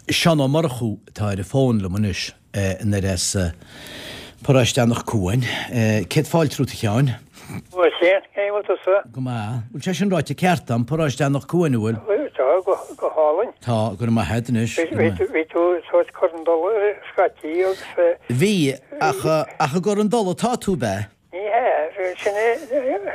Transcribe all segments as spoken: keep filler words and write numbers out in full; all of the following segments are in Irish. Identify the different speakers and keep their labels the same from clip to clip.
Speaker 1: Seán Ó Murchú atá ar an bhfón liom anois anoir as Paróiste Anach Cuain. Céad fáilte romhat a Sheáin.
Speaker 2: Bhuel, cén chaoi a bhfuil tusa?
Speaker 1: Go maith. Bhfuil sé sin ráite ceart agam, Paróiste Anach Cuain, an bhfuil?
Speaker 2: Bhuel, tá, go, go hálainn.
Speaker 1: Tá, go raibh maith agat anois.
Speaker 2: Bhí, bhí, bhí tú sórt cur an dole ar scaití agus.
Speaker 1: Bhí, ach, ach i gCor an Dole atá tú, ab ea?
Speaker 2: Ní hea, sin é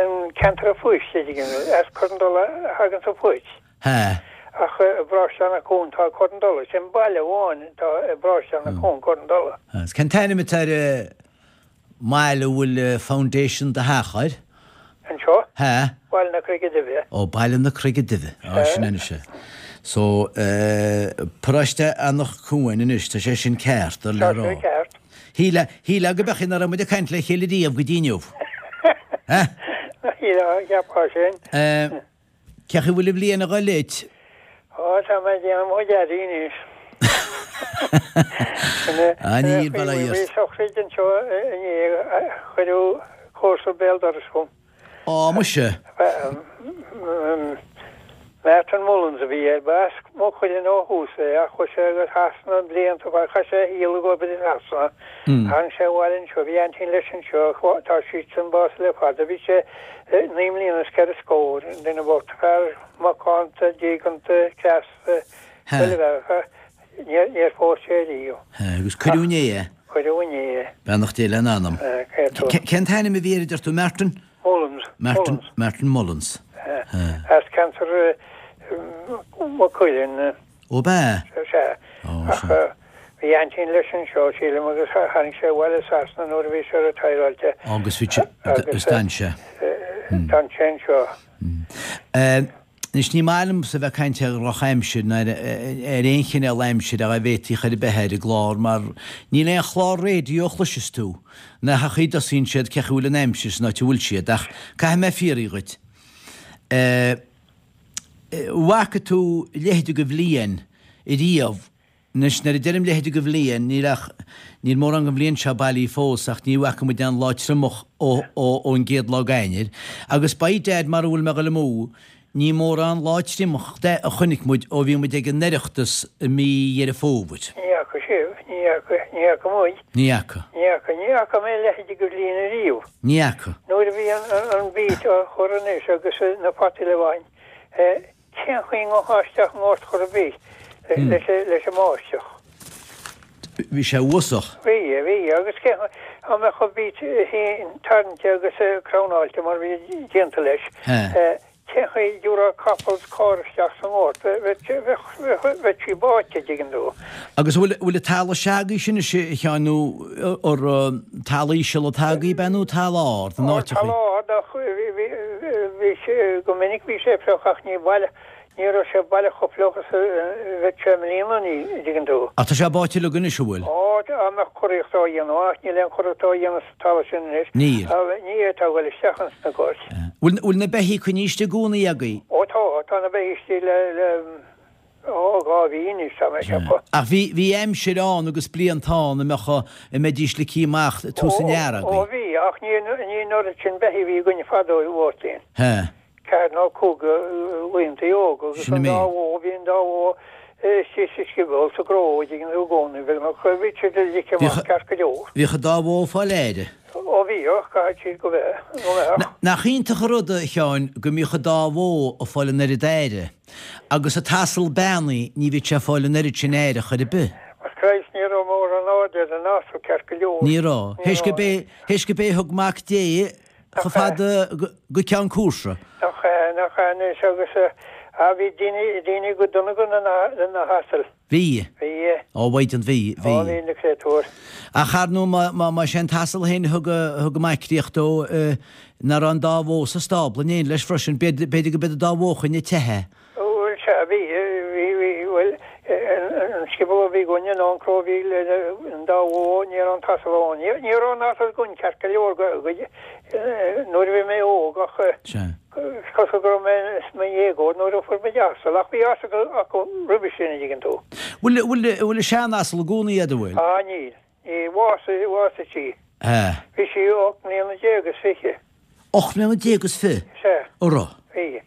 Speaker 2: an ceantar an phoist, as Cor an Dole a thaganns an phoist.
Speaker 1: Hea.
Speaker 2: Ach i bparóiste Anach Cuain tá Cor an Dole, sin baile amháin atá i bparóiste Anach Cuain, Cor an Dole.
Speaker 1: Agus cén t-ainm atá ar an mbaile a bhfuil foundation do theach air?
Speaker 2: Anseo?
Speaker 1: Hea.
Speaker 2: Baile na Creige Duibhe.
Speaker 1: Ó, Baile na Creige Duibhe. Á, sin anois é. So, paróiste Anach Cuain anois, tá sé sin ceart, ar le
Speaker 2: Tá
Speaker 1: rá.
Speaker 2: sé ceart.
Speaker 1: Shílfeá, shílfeá go beadh nach raibh muid ag caint le chéile riamh go dtí inniu. Hea?
Speaker 2: Shílfeá, cheapfá sin.
Speaker 1: Cén chaoi a bhfuil an bhliain ag dul duit?
Speaker 2: Ó, tá mé ag déanamh mo chuid earraí anois.
Speaker 1: Ah, níl, bail ó Dhia
Speaker 2: Bhí
Speaker 1: ort.
Speaker 2: sochraid anseo inné, cuireadh comharsa béal dorais dhom.
Speaker 1: Á, muise.
Speaker 2: Martin Mullins a bhí air, ba as Maigh Cuilinn ó thús é ach chuaigh sé go Sasana blianta, chaith sé a shaol ag obair i Sasana. Tháinig sé abhaile anseo, bhí aintín leis anseo, tá siadsan básaithe le fada, bhí sé naoi mbliana is ceithre scór, an duine bocht, fear macánta, diaganta, cneasta, chuile bhealach, níor níor phós sé riamh.
Speaker 1: Agus cuireadh inné é.
Speaker 2: Cuireadh inné é.
Speaker 1: Beannacht Dé lena anam. Cén t-ainm a bhí air a deir tú, Martin?
Speaker 2: Mullins.
Speaker 1: Martin, Martin Mullins.
Speaker 2: As ceantar Mhaigh Cuilinn.
Speaker 1: Ó b'ea?
Speaker 2: Sea. Ach bhí aintín leis anseo, sílim, agus tháinig sé abhaile as Sasana nuair a bhí sé retireáilte.
Speaker 1: Agus bhí sé, agus d'fhan sé.
Speaker 2: D'fhan sé anseo.
Speaker 1: Anois ní maith liomsa a bheith ag caint ar dhrochaimsir ná ar aon chineál aimsire dá bhféadfaí chor ar bith ar an gclár mar níl aon chlár raidió a chloiseas tú nach chaoi a dtosaíonn siad cén chaoi a bhfuil an aimsir san áit a bhfuil siad ach caithfidh mé fiafraí dhuit. Bhfaca tú a leithéide de bhliain ariamh? Anois, nuair a deirim leithéide de bhliain, níl ach, níl mórán den bhliain seo bailí fós ach ní bhfaca muid aon lá triomach ó, ó, ón gcéad lá d'Eanáir. Agus by dad, mara bhfuil mé ag dul amú, ní mórán lá triomach de a chonaic muid ó bhí muid ag an Oireachtas i mí Dheireadh Fómhair.
Speaker 2: Ní fhaca sibh, ní fhaca, ní fhaca muid.
Speaker 1: Ní fhaca.
Speaker 2: Ní fhaca, ní fhaca mé a leithéide de bhliain ariamh.
Speaker 1: Ní fhaca.
Speaker 2: Nuair a bhí an, an, an beet á chur anois agus na fataí le baint, eh, Cén chaoi a ngabhfá isteach i ngort chor ar bith leis an mbáisteach?
Speaker 1: Bhí sé uafásach.
Speaker 2: Bhí, bhí, agus cén chaoi dá mbeadh an beet féin tarraingthe agus cramnáilte mar a bhí déanta leis, cén chaoi a dtabharfá capall is carr isteach sa ngort? Bheadh sí báite, dtuigeann tú.
Speaker 1: Agus an bhfuil, bhfuil an talamh s'agaibhse anois, a Sheáin, nó ar talamh íseal atá agaibh, ab ea, nó talamh ard, an áit a
Speaker 2: Talamh ard ach bhí, Bhí sé, go minic bhí sé fliuch ach ní baileach, ní raibh sé baileach chomh fliuch is a bheadh sé i mbliana, an dtuigeann tú.
Speaker 1: Ach tá sé báite uilig anois, an bhfuil?
Speaker 2: Ó, dá mbeadh curaíocht á dhéanamh ach níl aon churaíocht á dhéanamh sa talamh sin anois.
Speaker 1: Níl.
Speaker 2: Ní fhéadfá a dhul isteach ins na goirt.
Speaker 1: Bhfuil, bhfuil na beithígh coinnithe istigh i gcónaí agaibh?
Speaker 2: Ó tá, tá na beithígh istigh le, le, ó, dhá mhí anois, tá mé ag ceapadh.
Speaker 1: Ach bhí, bhí aimsir ann agus blianta ann a mbeadh, a mbeidís ligthe amach tús an earraigh.
Speaker 2: Ó, bhí, ach ní, ní an oiread sin beithígh a bhí againne fadó, a Mháirtín.
Speaker 1: Hea.
Speaker 2: Ceathair nó cúig laontaí óga agus
Speaker 1: Sin
Speaker 2: an dá
Speaker 1: é.
Speaker 2: bhó, bhí an dá bhó istigh sa scioból sa gcró, an dtuigeann tú, i gcónaí, beagnach, bhí siad ligthe amach ceart go leor.
Speaker 1: Bhíodh an dá bhó ag fáil aire.
Speaker 2: Ó bhíodh, caithfidh siad go mbeadh, go mbeadh.
Speaker 1: Nach iontach an rud, a Sheáin, go mbíodh an dá bhó ag fáil an oiread aire, agus an t-asal beannaithe, ní bhíodh sé ag fáil an oiread sin aire chor ar bith.
Speaker 2: But Christ, ní raibh mórán airde ar an asal ceart go leor.
Speaker 1: Ní raibh. Théis go b'é, théis go b'é a thug Mac Dé chomh fada go ceann cúrsa.
Speaker 2: Nach ea, nach ea anois agus, ah, bhí daoine, daoine go dona go na, na hasail.
Speaker 1: Bhí.
Speaker 2: Bhí.
Speaker 1: Ó, mhaighdean, bhí, bhí.
Speaker 2: Ó, bhí na créatúir.
Speaker 1: Ach ar ndóigh, má, má, más é an t-asal féin a thug, a thug an Mac Críoch dó, nach raibh an dá bhó sa stábla in éindí leis freisin, b'fhéidir, b'fhéidir go b'iad an dá bhó a choinnigh te é.
Speaker 2: Bhuel, sea, bhí, bhí, bhí, bhuel, an scioból a bhí againne nó an cró a bhí le an dá bhó, ní raibh an t-asal ann. Ní, ní raibh an asal againn ceart go leor go, go, nuair a bhí mé óg ach,
Speaker 1: Sea.
Speaker 2: Is cosúil go raibh mé i mo dhéagóir nuair a fuair muid asal, ach bhí asal acu roimhe sin, an dtuigeann tú.
Speaker 1: Bhfuil, bhfuil, bhfuil an sean-asal i gcónaí agat, an bhfuil?
Speaker 2: Ah, níl. Níl. Bhásaigh, bhásaigh sí.
Speaker 1: Ea.
Speaker 2: Bhí sí ocht mbliana déag is fiche.
Speaker 1: Ocht mbliana déag is fiche?
Speaker 2: Sea.
Speaker 1: An raibh?
Speaker 2: Bhí.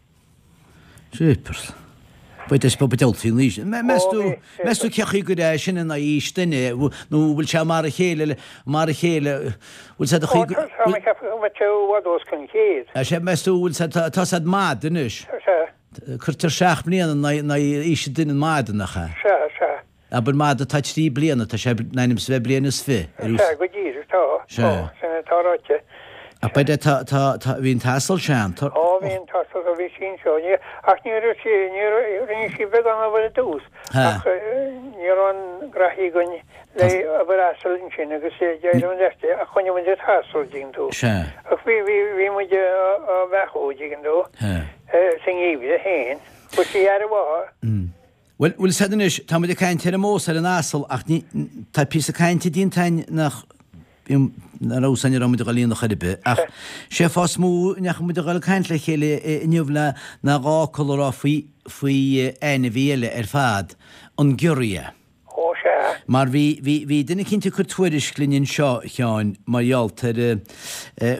Speaker 1: Jeepers. Bhuel, is beag dul faoin aois. Meas tú, meas tú cé chaoi gur é sin in aghaidh aois duine, nó bhfuil sé mar a chéile, mar a chéile, bhfuil sé do chaoi go.
Speaker 2: Tá mé ag ceapadh go mbeadh sé i bhfad os cionn céad.
Speaker 1: Sea, meas tú, bhfuil sé, tá sé mad anois.
Speaker 2: Sea.
Speaker 1: Cuirtear seacht mbliana in aghaidh aois duine mada, nach ea?
Speaker 2: Sea, sea.
Speaker 1: Abair mada atá trí bliana, tá sé in ainm is a bheith bliain is fiche.
Speaker 2: Sea, go díreach, tá, tá, sin atá ráite.
Speaker 1: Ach b'fhéidir tá, tá, tá, bhí an t-asal sean, tá.
Speaker 2: Ó, bhí an t-asal, bhí sí anseo, ní, ach ní raibh sí, ní raibh, rinne sí beagán obair ar dtús, ach ní raibh aon ghraithí againn le obair asail ansin agus d'éirigh an leath ach choinnigh muid an t-asal, dtuigeann tú.
Speaker 1: Sea.
Speaker 2: Ach bhí, bhí, bhí muid á bheathú, dtuigeann tú, sa ngeimhreadh féin. Fuair sí aire mhaith.
Speaker 1: Bhuel, bhfuil 'fhios a'd anois, tá muid ag caint ar an mbós ar an asal ach ní, tá píosa cainte déanta a'inn nach, nach raibh 'fhios a'inn an raibh muid a dhul a dhéanamh chor ar bith ach sé fáth is mó a ndeachaigh muid a dhul ag caint le chéile inniu le ná dhá fhocal a rá faoi, faoi ainmhí eile ar fad, an giorria.
Speaker 2: Ó, sea.
Speaker 1: Mar bhí, bhí, bhí duine eicínt ag cur tuairisc linn anseo, a Sheáin, mar gheall ar,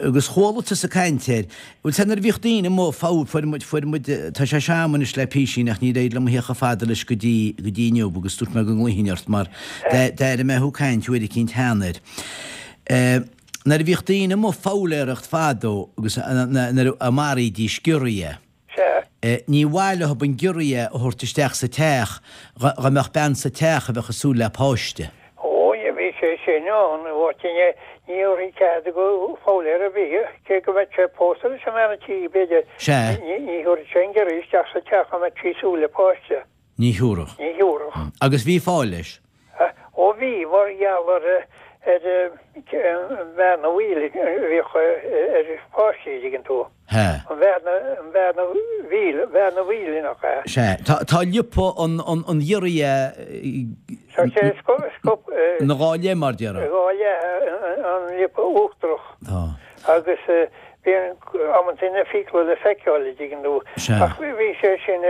Speaker 1: agus chuala tusa caint air, bhfuil 'fhios a'd nuair a bhíodh daoine amuigh, fabhar, fuair muid, fuair muid, tá sé seo a'm anois le písín ach níor éirigh liom a theacht chomh fada leis go dtí, go dtí inniu agus dúirt mé go nglaofainn ort mar d'airigh mé thú ag caint uair eicínt cheana air. Nuair a bhíodh daoine amuigh foghlaeireacht fadó agus nuair a mharaídís giorria,
Speaker 2: Sea.
Speaker 1: Ní mhaith leo an giorria a thabhairt isteach sa teach dá mbeadh bean sa teach a bheadh ag súil le páiste.
Speaker 2: Ó, bhí sé sin ann, a Mháirtín, ní thabharfaí cead do fhoghlaeir ar bith, cé go mbeadh sé pósta leis an mbean a' tí, b'fhéidir,
Speaker 1: Sea.
Speaker 2: ní thabharfadh sé an giorria isteach sa teach dá mbeadh sí ag súil le páiste.
Speaker 1: Ní thabharfadh.
Speaker 2: Ní thabharfadh.
Speaker 1: Agus bhí fáth leis.
Speaker 2: Ó bhí, mar gheall ar ar an bhearna bhaoil a bhíodh ar pháistí, an dtuigeann tú.
Speaker 1: Sea.
Speaker 2: An bhearna, an bhearna mhíl, bhearna mhaoil nach ea?
Speaker 1: Sea. Tá, tá liopa an, an, an ghiorria
Speaker 2: Tá sé scoip,
Speaker 1: ina dhá leith, mar déarfá.
Speaker 2: Dhá leith, an liopa uachtarach.
Speaker 1: Tá.
Speaker 2: Agus bíonn amantaí na fiacla le feiceáil, an dtuigeann tú.
Speaker 1: Sea.
Speaker 2: Ach bhí sé sin,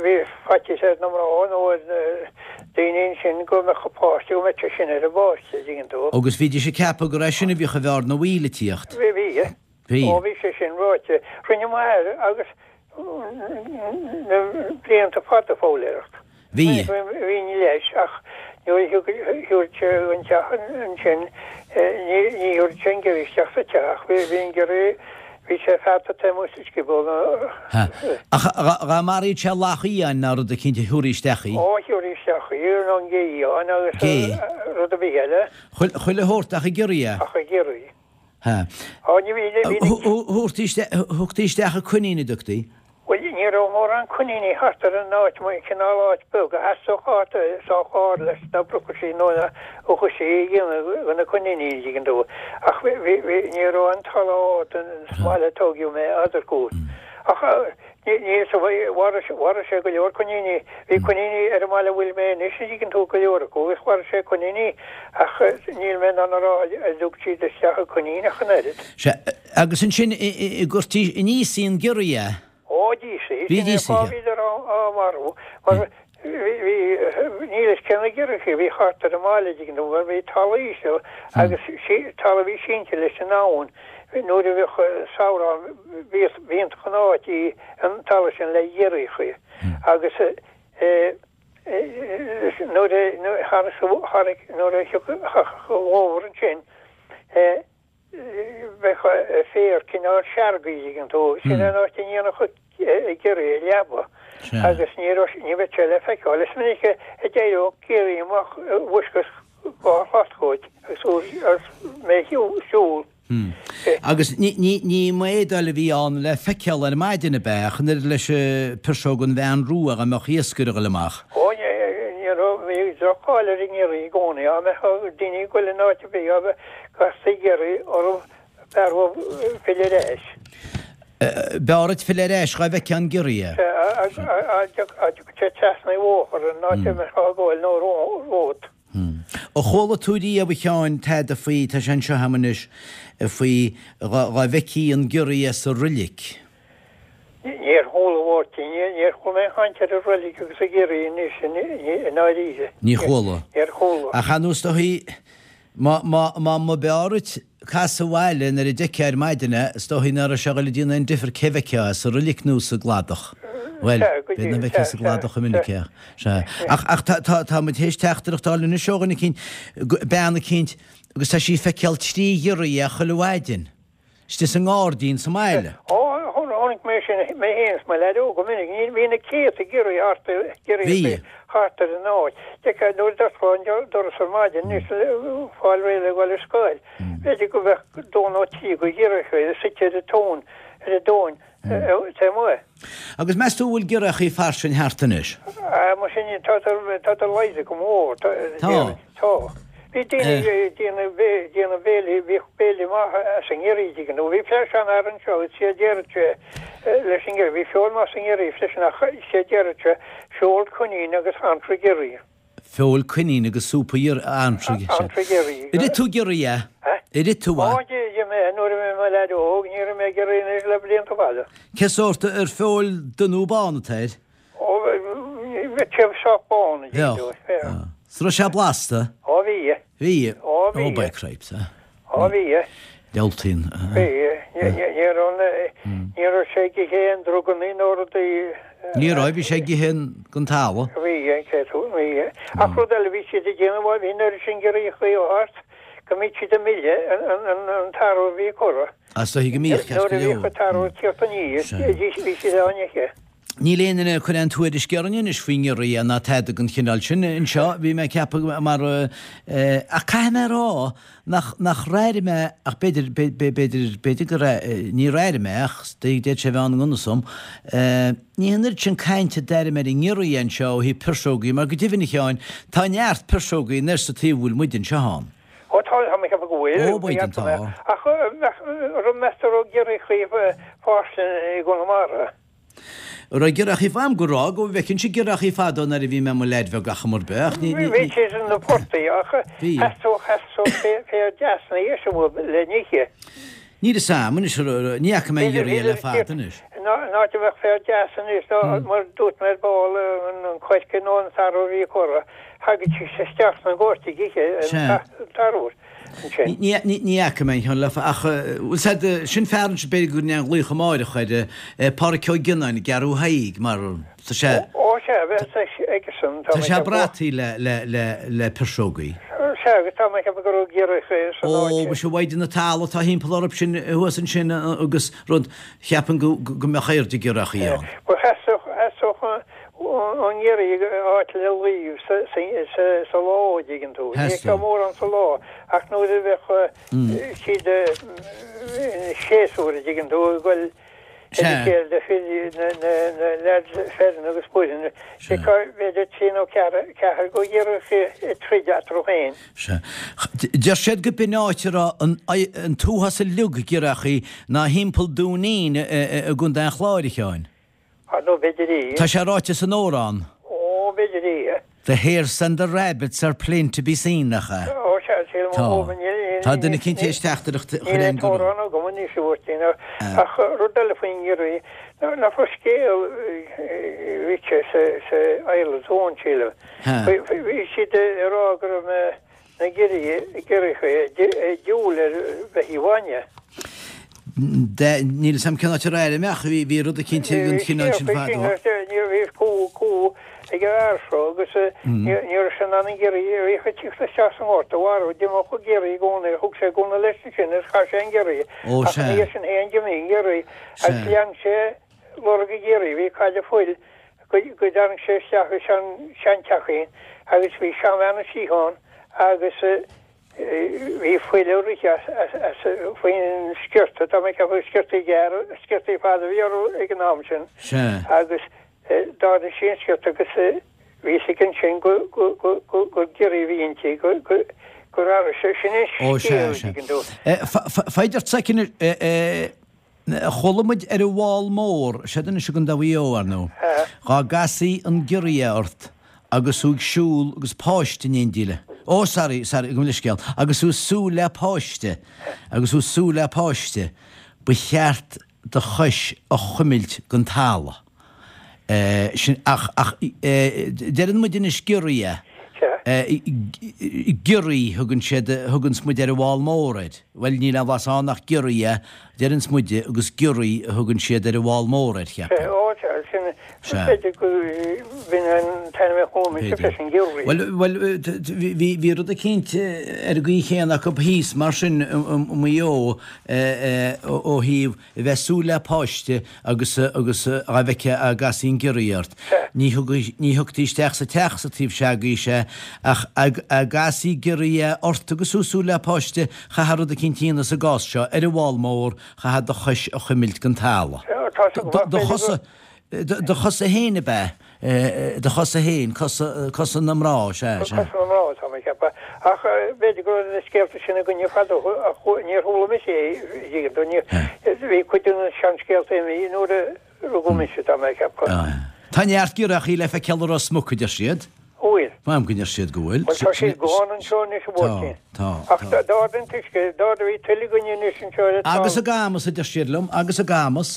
Speaker 2: bhí faitíos ar na mná nó ar na daoine ansin go mbeadh an páiste, go mbeadh sé sin ar an bpáiste, an dtuigeann tú.
Speaker 1: Agus bhídís ag ceapadh gur é sin a bhíodh an bhearna mhaoil ag tíocht.
Speaker 2: Bhí, bhí.
Speaker 1: Bhí.
Speaker 2: Ó bhí sé sin ráite. Rinne m'athair agus na blianta fada foghlaeireacht.
Speaker 1: Bhí.
Speaker 2: Bhínn leis ach nuair a thiúrfadh sé an teach ansin ní thiúrfadh sé an giorria isteach sa teach. Bhí an giorria, bhí sé fearta taobh amuigh sa scioból.
Speaker 1: Ach dhá maraíodh sé each fhiáin ná rud eicínt thiúrfaí isteach í.
Speaker 2: Ó thiúrfaí isteach í nó an gé fhiáin agus rud ar bith eile.
Speaker 1: Chuile shórt ach an giorria.
Speaker 2: Ach an giorria.
Speaker 1: Ha.
Speaker 2: Ó ní bhí, ní bhí.
Speaker 1: Thugtaí isteach an coinín an dtugtaí?
Speaker 2: Bhuel, ní raibh mórán coiníní thart ar an áit, mar cineál áit beag a theastódh áit sách ard leis na brocaisí nó na uchaisí a dhéanamh do na coiníní, an dtuigeann tú. Ach bhí, bhí, bhí, ní raibh an talamh ard sa mbaile a tóigeadh mé eadarcúl. Ach ní, ní, so mharaigh sé, mharaigh sé go leor coiníní. Bhí coiníní ar an mbaile a bhfuil mé anois, an dtuigeann tú, go leor acu agus mharaigh sé coiníní ach níl mé in ann a rá ar thug siad isteach an coinín ach an oiread.
Speaker 1: Sea, agus ansin i gcuirtí aníos í an giorria.
Speaker 2: Ó, d'íosaí. Sin é an fáth a bhíodar á marú, mar bhí, bhí, níl fhios cé na giorriachaí a bhí thart ar an mbaile, an dtuigeann tú, mar bhí talamh íseal agus talamh a bhí sínte leis an abhainn. Nuair a bhíodh samhradh ann, bhíodh, b'iontach an áit í an talamh sin le giorriachaí agus eh, nuair a, nuair a, nuair a thiocfadh an fómhar ansin, eh, Bheadh féar cineál seargaí, an dtuigeann tú. Sin an áit a ndéanfadh an giorria leaba agus ní raibh, ní bheadh sé le feiceáil. Is minic a d'éireodh giorria amach i bhfoisceacht dhá shlat uait agus mé ag siúl.
Speaker 1: Agus ní, ní, ní maodáil a bhí ann le feiceáil ar maidin ab ea, ach an oiread leis an piseog an bhean rua dá mbeadh iascaire ag dul amach.
Speaker 2: Ó, ní, ní raibh, bhí droch-cháil ar an ngiorria i gcónaí. Dá mbeadh daoine ag dul in áit ar bith, dá mbeadh Castaí giorria orthu b'fhearr dhóibh filleadh ar ais.
Speaker 1: B'fhearr duit filleadh ar ais dhá bhfeicfeá an giorria.
Speaker 2: Sea, dá dtiocfadh sé trasna an bhóthair an áit a mbeifeá ag gabháil nó romhat.
Speaker 1: Ar chuala tú riamh, a Sheáin, tada faoi, tá sé anseo agam anois, faoi dhá bhfeicfí an giorria sa roilic?
Speaker 2: Níor chuala, a Mháirtín, níor chuala mé aon chaint ar an roilic agus an giorria anois i ndáiríre.
Speaker 1: Níor chuala.
Speaker 2: Níor chuala.
Speaker 1: Ach ar nós dóichí, Má, má, má, má b'fhearr duit casadh abhaile nuair a d'fheicfeá ar maidin é, is dóichí ná raibh sé ag dul a déanamh aon difear cé bhfeicfeá é, sa roilic nó sa gcladach. Bhuel, b'fhéidir nach bhfeicfeá sa gcladach go minic é. Sea. Ach, ach tá, tá, tá muid théis teachtaireacht a fháil anois ó dhuine eicínt, bean eicínt, agus tá sí ag feiceáil trí ghiorria chuile mhaidin, istigh sa ngairdín sa mbaile.
Speaker 2: Ó, chonaic mé sin mé féin is mo leaid óg go minic. Ní, bhí na céadta giorria thart, giorria Bhí. thart ar an áit. D'fheicfeá nuair a d'osclófá an doras ar maidin, anois le fáil réidh le dhul ar scoil, b'fhéidir go mbeadh dó nó trí go ghiorriacha suite ar an tóin, ar an dtóin. Taobh amuigh.
Speaker 1: Agus meas tú an bhfuil giorriachaí fairsing thart anois?
Speaker 2: Mar sin, tádar laghdaithe go mór. Tá. Tá. Bhí daoine ag déanamh déanamh béilí, bhíodh béile maith as an ngiorria, dtuigeann tú. Bhí seanfhear anseo agus sé a déarfadh sé leis an ngiorria, bhí feoil maith sa ngiorria freisin ach sé a déarfadh sé, feoil coinín agus antra giorria.
Speaker 1: Feoil coinín agus súp antraigh.
Speaker 2: Antraigh giorria.
Speaker 1: Ar ith tú giorria? Ar ith tú
Speaker 2: a? Ó, d'ith mé nuair a bhí mé i mo leaid óg, níor ith mé giorria anois le blianta fada.
Speaker 1: Cé sórt ar feoil dubh nó bán atá air?
Speaker 2: Ó, bheadh sé sách bán, a deir tú.
Speaker 1: Bheadh. Is raibh sé blasta?
Speaker 2: Ó, bhí.
Speaker 1: Bhí.
Speaker 2: Ó, bhí.
Speaker 1: Ó, by cripes, a.
Speaker 2: Ó, bhí.
Speaker 1: Diabhaltaín.
Speaker 2: Bhí. Ní raibh ní raibh sé ag ithe aon druganna nó rudaí.
Speaker 1: Ní raibh, bhí sé ag ithe den talamh.
Speaker 2: Bhí, cé tú, bhí. Ach rud eile bhí siad ag déanamh, bhuel, bhí an oiread sin giorriachaí thart go mbíodh siad ag milleadh an tarbh a bhí curtha.
Speaker 1: Is dóigh go mbíodh, ceart go
Speaker 2: leor. Nuair a bhíodh an tarbh ag tíocht aníos, bhí siad á n-ithe.
Speaker 1: Níl aon duine ag cur aon tuairisc orainn anois faoi ngiorria ná tada den chineál sin anseo, bhí mé ag ceapadh mar, ach caithfidh mé a rá nach, nach raibh mé, ach b'fhéidir, b'fhéidir, b'fhéidir go raibh, ní raibh mé ach d'fhéadfadh sé a bheith ann i ngan fhios dom, ní an oiread sin cainte a d'airím ar an ngiorria anseo ó thaobh pirseogaí mar go deimhin a Sheáin, tá neart pirseogaí anois sa taobh a bhfuil muid anseo ann.
Speaker 2: Ó tá, tá mé ag ceapadh go bhfuil.
Speaker 1: Ó, b'fhéidir, tá.
Speaker 2: Ach an meas tú an raibh giorriachaí fairsing i gConamara?
Speaker 1: An raibh giorriachaí fam go raibh, go bhfeicinnse giorriachaí fadó nuair a bhí mé i mo leaid bheag ach chuma ar bith, ach ní, ní,
Speaker 2: Bhí siad sna portaigh ach theastódh, theastódh féar deas ina dhiaidh sin uaidh le n-ithe.
Speaker 1: Níl fhios a'm anois, ní fhaca mé giorria le fada anois.
Speaker 2: An áit a bheadh féar deas anois ná mar dúirt mé ar ball an coirce nó an tarbh a bhí curtha, thagadh siad isteach sna goirt ag ithe an tarbh.
Speaker 1: Ní fhaca mé an ceann le ach bhfuil said sin fear ansin b'fhéidir go ndéan glaoch amáireach ar Páraic Ó Gionnáin i gCeathrú Thaidhg mar tá sé
Speaker 2: Ó sea bheadh aigesan
Speaker 1: tá sé brataí le le le le pirseogaí.
Speaker 2: Sea agus tá mé ag ceapadh go raibh giorriacha san
Speaker 1: áit. Ó mhuise mhaighdean na talamh atá thimpeall orthu sin thuas ansin agus rud cheapfainn go go mbeadh airde giorriachaí ann.
Speaker 2: Ba theastódh theastódh an giorria áit le luí sa lá, an dtuigeann tú. Ní fheicfeá mórán sa lá ach nuair a bheadh siad ina séasúr, an dtuigeann tú, ag dul ar a chéile de fir, na leaids fireann agus baineann, d'fheicfeá b'fhéidir trí nó ceathair de ghiorriacha ag troid eatarthu féin.
Speaker 1: Sea. Deir siad go b'in áit a raibh an t-uafás uilig giorriachaí ná thimpeall Dúinín i gContae an Chláir, a Sheáin.
Speaker 2: Ar ndóigh, b'fhéidir í.
Speaker 1: Tá sé ráite san amhrán.
Speaker 2: Ó, b'fhéidir í.
Speaker 1: The hares and the rabbits are plain to be seen, nach ea?
Speaker 2: Ó, sea, sílim.
Speaker 1: Tá. Tá duine eicínt théis teachtaireacht a chur
Speaker 2: Níl an t-amhrán agam anois, a Mháirtín, ach rud eile faoin ngiorria, nach raibh scéal rite sa Ireland's Own, sílim. Bhí siad ag rá go raibh na. Na giorriacha ag diúl ar bheithígh bhainne.
Speaker 1: Níl 'fhios a'm cén áit ar airigh mé ach bhí rud eicínt den chineál sin fadó.
Speaker 2: Ní raibh cú cú ag an fhear seo agus ní raibh sé in ann an giorria a bhíodh ag tíocht isteach sa ngort a mharú. D'imeodh an giorria i gcónaí, thug sé gúna leis ansin agus chaith sé an giorria. Ach ina dhiaidh sin féin d'imigh an giorria agus lean sé lorg an ghiorria. Bhí cailleadh fuil go dtáinig sé isteach i seanteachín agus bhí seanbhean istigh ann agus bhí fuil ag rith as faoin sciorta, tá mé ag ceapadh sciortaí gearra, sciortaí fada a bhí orthu ag an am sin agus d'ardaigh sí an sciorta agus bhí 'fhios aici ansin gur giorria a bhí inti, gur athraigh sé, sin an scéal, an dtuigeann tú.
Speaker 1: Faigh ort soicind. Chuala muid ar an bhFál Mór, seod anois i gContae Mhaigh Eo, ar ndóigh, dhá gcasfaí an giorria ort agus thú ag siúl agus páiste in éindí le, ó, sorry, sorry, gabh mo leithscéal, agus thú ag súil le páiste, agus thú ag súil le páiste, ba cheart do chois a chuimilt den talamh. Sin, ach, ach, deireann muid anois giorria, giorraí thugann siad, thuganns muid ar an bhFál Mór air. Bhuel, níl aon bhlas ann ach giorria, deireanns muide, agus giorraí a thugann siad ar an bhFál Mór air, cheapfainn.
Speaker 2: Ó, sea, sin, B'fhéidir go b'in an t-ainm a chuala mise freisin, giorria.
Speaker 1: Bhuel, bhuel, bhí, bhí rud eicínt ar an gcaoi chéanna acu thíos mar sin i Maigh Eo ó thaobh a bheith ag súil le páiste agus, agus dá bhfeicfeá a gcasfaí an giorria ort. Ní thug, ní thugtaí isteach sa teach sa taobh s'agaibhse é ach dá gcasfaí giorria ort agus tú ag súil le páiste, chaithfeá rud eicínt a dhéanamh sa gcás seo, ar an bhfál mór, chaithfeá do chois a chuimilt den talamh. Do chosa, do chosa féin ab ea? Do chosa féin, cosa, cosa na mná, sea, sea.
Speaker 2: Cosa na mná, tá mé ag ceapadh. Ach b'fhéidir go raibh na scéalta sin againne fadó, ach níor chuala mise é, dtuigeann tú, ní, bhí cuid de na seanscéalta imithe nuair a rugadh mise, tá mé ag ceapadh.
Speaker 1: Tá neart giorriachaí le feiceáil i Ros Muc, a deir siad.
Speaker 2: Bhfuil.
Speaker 1: Maím go ndeir siad go bhfuil.
Speaker 2: Bhuel, tá siad gann anseo anois, a Mháirtín.
Speaker 1: Tá, tá,
Speaker 2: Ach
Speaker 1: tá.
Speaker 2: d'ardaigh an t-uisce, d'ardaigh, bhí tuile againne anois anseo ar an talamh.
Speaker 1: Agus i gCamus, a deir siad liom, agus i gCamus.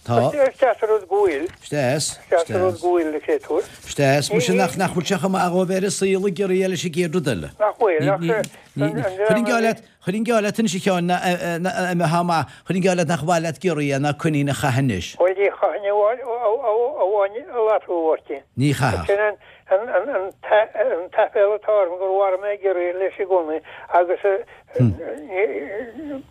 Speaker 1: Tá.
Speaker 2: Is deas an rud go bhfuil.
Speaker 1: Is deas,
Speaker 2: Is deas an rud go bhfuil, a chréatúir.
Speaker 1: Is deas, muise nach, nach bhfuil sé chomh maith dhóibh ar an saol ag giorria leis an gcéad rud eile.
Speaker 2: Nach bhfuil, ach
Speaker 1: Ní, ní, ní, chuirfinn geall leat, chuirfinn geall leat anois a Sheáin, ná, a mbeifeá maith, chuirfinn geall leat nach mhaith leat giorria ná coinín a chaitheamh anois.
Speaker 2: Bhuel, ní chaithfinn amháin a latú, a Mháirtín.
Speaker 1: Ní chaithfeadh.
Speaker 2: Sin an, an, an, an, an t-aiféala atá orm gur mharaigh mé giorria leis i gcónaí agus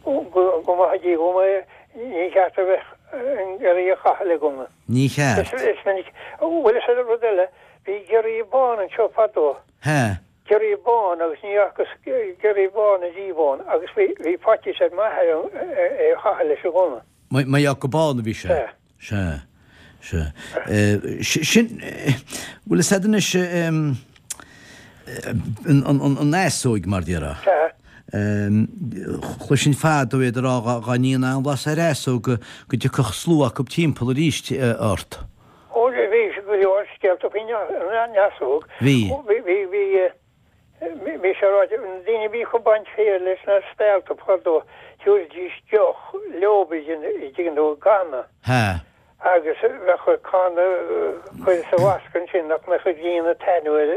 Speaker 2: go, go maithe Dia dhom é, ní cheart a bheith an giorria a chaitheamh le gunna.
Speaker 1: Ní cheart.
Speaker 2: Is, is minic, bhuel is rud eile, bhí giorria bán anseo fadó.
Speaker 1: Hea.
Speaker 2: Giorria bán agus ní fhacas giorria bán ariamh ann agus bhí, bhí faitíos ar m'athair é a chaitheamh leis an ghunna.
Speaker 1: Mar gheall gur bán a bhí sé.
Speaker 2: Sea.
Speaker 1: Sea. Sea. Sin, bhfuil fhios a'd anois an easóig mar déarfá.
Speaker 2: Sea.
Speaker 1: Chloisinn fadó iad ag rá dhá ndéanfá an-bhlas ar easóg go dtiocfadh slua acu timpeall arís ort.
Speaker 2: Ó bhí go leor scéalta faoin easóg.
Speaker 1: Bhí.
Speaker 2: Bhí, bhí, bhí, bhí sé ráite, na daoine a bhíodh ag baint féir leis na spealta fadó, thiúrfaidís deoch leob, an dtuigeann tú, i gcanna.
Speaker 1: Hea.
Speaker 2: Agus bheadh canna curtha sa bhasca ansin nach mbeadh an ghrian ag taitneamh ar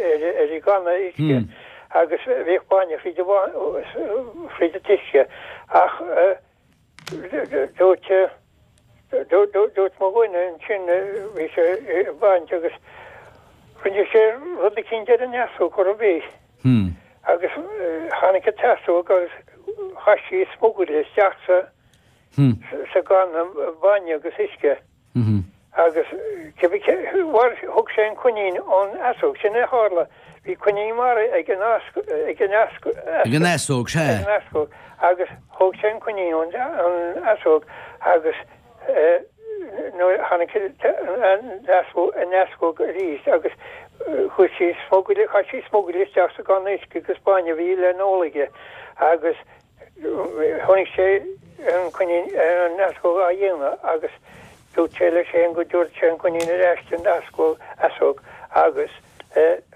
Speaker 2: ar an gcanna uisce agus bhíodh bainne fríd an fríd an t-uisce ach dúirt dúirt mo dhuine ansin bhí sé ag baint agus rinne sé rud eicínt ar an easóg chor ar bith agus tháinig an t-easóg agus chaith sí smugairle isteach sa sa gcanna bainne agus uisce agus cibé cé thug sé an coinín ón easóg. Sin é a tharla, bhí coinín maraithe ag an ag an
Speaker 1: Ag an easóg, sea.
Speaker 2: Ag an easóg agus thóg sé an coinín ón easóg agus nuair a tháinig an easóg arís agus chuir sí smugairle, chaith sí smugairle isteach sa gcanna uisce agus bainne a bhí le n-ól aige agus Chonaic sé an coinín, an eascóg á dhéanamh agus dúirt sé leis féin go dtabharfadh sé an coinín ar ais don eascóg, easóg, agus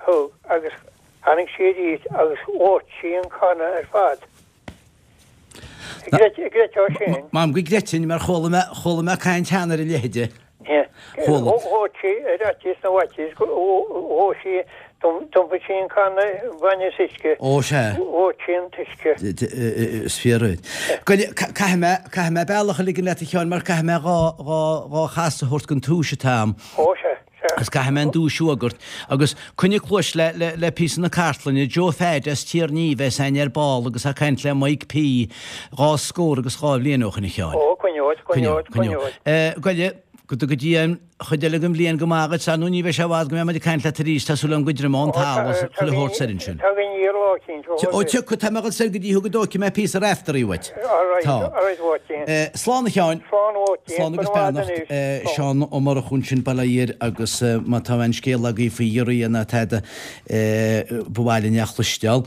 Speaker 2: thug, agus tháinig sí arís agus dhóirt sí an canna ar fad. An gcreidfeá sin?
Speaker 1: Maím go gcreidfinn, mar chuala mé, chuala mé caint cheana ar a leithide.
Speaker 2: Chuala. Dhóirt sí ar fhaitíos na bhfaitíos, dhóigh sí, d'iompaigh sí an canna bainne is uisce.
Speaker 1: Ó, sea.
Speaker 2: Dhóirt sí an t-uisce.
Speaker 1: Is fíor duit. Caithfidh mé, caithfidh mé bealach a ligean leat a Sheáin mar caithfidh mé dhá, dhá, dhá chasadh a thabhairt don túis atá a'm.
Speaker 2: Ó, sea, sea.
Speaker 1: Agus caithfidh mé an duais a fhógairt. Agus coinnigh cluais le, le, le píosa na cartlainne, Joe Pheaid as Tír an Fhia a bheas a'inn ar ball agus é ag caint le Mike P. dhá scór agus dhá bhliain ó shin a Sheáin.
Speaker 2: Ó, coinneoid, coinneoid, coinneoid.
Speaker 1: Goile, Go dtuga Dia an chuid eile den bhliain go maith dhuit, ar ndóigh ní bheidh sé i bhfad go mbeidh muid ag caint leat arís, tá súil agam go dtriomóidh an talamh is chuile shórt soir ansin.
Speaker 2: Tá againn iar lá eicínt, ó
Speaker 1: Ó tiocfaidh, tá mé ag dul soir go dtí thú go dtógfaidh mé píosa Raiftearaí uait.
Speaker 2: Alright,
Speaker 1: Tá.
Speaker 2: alright Mháirtín.
Speaker 1: Slán a Sheáin.
Speaker 2: Slán a Mháirtín,
Speaker 1: Slán
Speaker 2: go
Speaker 1: agus
Speaker 2: raibh maith
Speaker 1: beannacht.
Speaker 2: anois.
Speaker 1: Seán Ó Murchú ansin, Baile Átha Fhirdh agus má tá aon scéal agaibh faoi ghiorria ná tada, ba mhaith linn é a chloisteáil.